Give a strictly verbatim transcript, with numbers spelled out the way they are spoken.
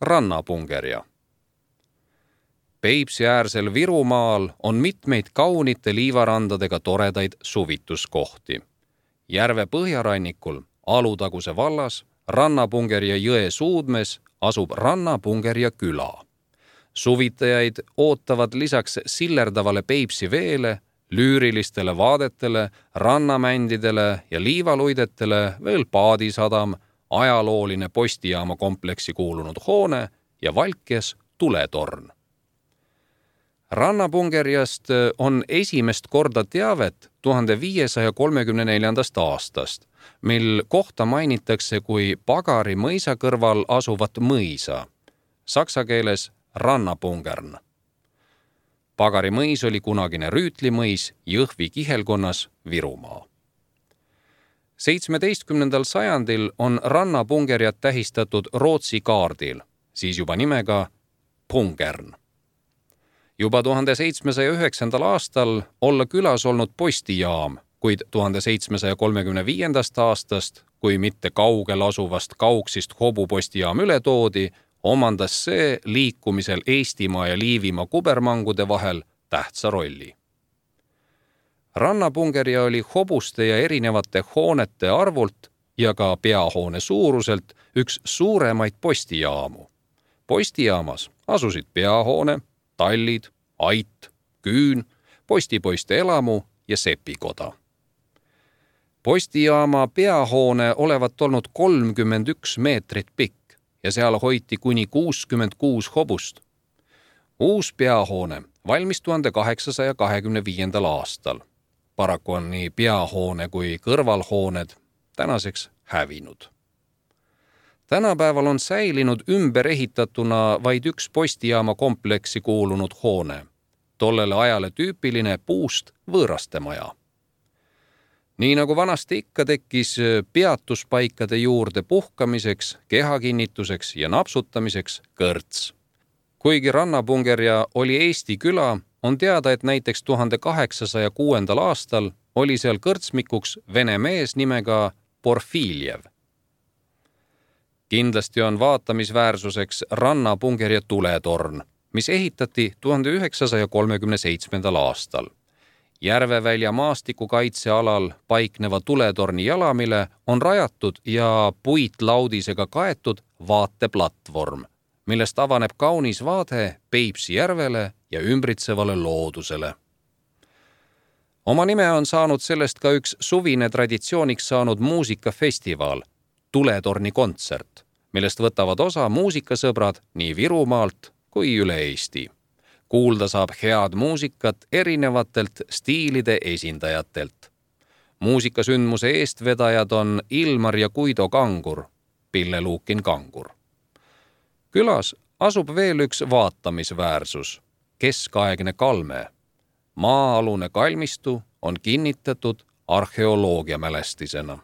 rannapungerja. Peipsiäärsel Virumaal on mitmeid kaunite liivarandadega toredaid suvituskohti. Järve põhjarannikul Alutaguse vallas Rannapungerja jõe suudmes asub Rannapungerja küla. Suvitajaid ootavad lisaks sillerdavale Peipsi veele, lüürilistele vaadetele, rannamändidele ja liivaluidetele veel paadisadam, ajalooline postijaama kompleksi kuulunud hoone ja Valkjas tuletorn. Rannapungerjast on esimest korda teavet tuhande viiesaja kolmekümne neljandast aastast, mil kohta mainitakse kui Pagari mõisa kõrval asuvat mõisa, saksa keeles Rannapungern. Pagari mõis oli kunagine rüütlimõis Jõhvi kihelkonnas Virumaa. seitsmeteistkümnendal sajandil on Rannapungerjat tähistatud Rootsi kaardil, siis juba nimega Pungern. Juba tuhande seitsmesaja üheksandal aastal olla külas olnud postijaam, kuid tuhande seitsmesaja kolmekümne viiendast aastast, kui mitte kaugel asuvast Kauksist hobupostijaam üle toodi, omandas see liikumisel Eestimaa ja Liivimaa kubermangude vahel tähtsa rolli. Rannapungerja oli hobuste ja erinevate hoonete arvult ja ka peahoone suuruselt üks suuremaid postijaamu. Postijaamas asusid peahoone, tallid, ait, küün, postipoiste elamu ja sepikoda. Postijaama peahoone olevat olnud kolmkümmend üks meetrit pikk ja seal hoiti kuni kuuskümmend kuus hobust. Uus peahoone valmis tuhande kaheksasaja kahekümne viiendal aastal. Paraku on nii peahoone kui kõrvalhooned tänaseks hävinud. Tänapäeval on säilinud ümber ehitatuna vaid üks postijaama kompleksi kuulunud hoone, tollele ajale tüüpiline puust võõrastemaja. Nii nagu vanasti ikka tekkis peatuspaikade juurde puhkamiseks, kehakinnituseks ja napsutamiseks kõrts. Kuigi Rannapungerja oli Eesti küla, on teada, et näiteks tuhande kaheksasaja kuuendal aastal oli seal kõrtsmikuks vene mees nimega Porfiljev. Kindlasti on vaatamisväärsuseks Rannapungerja tuletorn, mis ehitati tuhande üheksasaja kolmekümne seitsmendal aastal. Järvevälja maastikukaitsealal paikneva tuletorni jalamile on rajatud ja puitlaudisega kaetud vaateplatvorm, millest avaneb kaunis vaade Peipsi järvele ja ümbritsevale loodusele. Oma nime on saanud sellest ka üks suvine traditsiooniks saanud muusikafestival, Tuletorni kontsert, millest võtavad osa muusikasõbrad nii Virumaalt kui üle Eesti. Kuulda saab head muusikat erinevatelt stiilide esindajatelt. Muusikasündmuse eestvedajad on Ilmar ja Guido Kangur, Pille Luukin Kangur. Külas asub veel üks vaatamisväärsus, keskaegne kalme. Maa-alune kalmistu on kinnitatud arheoloogiamälestisena.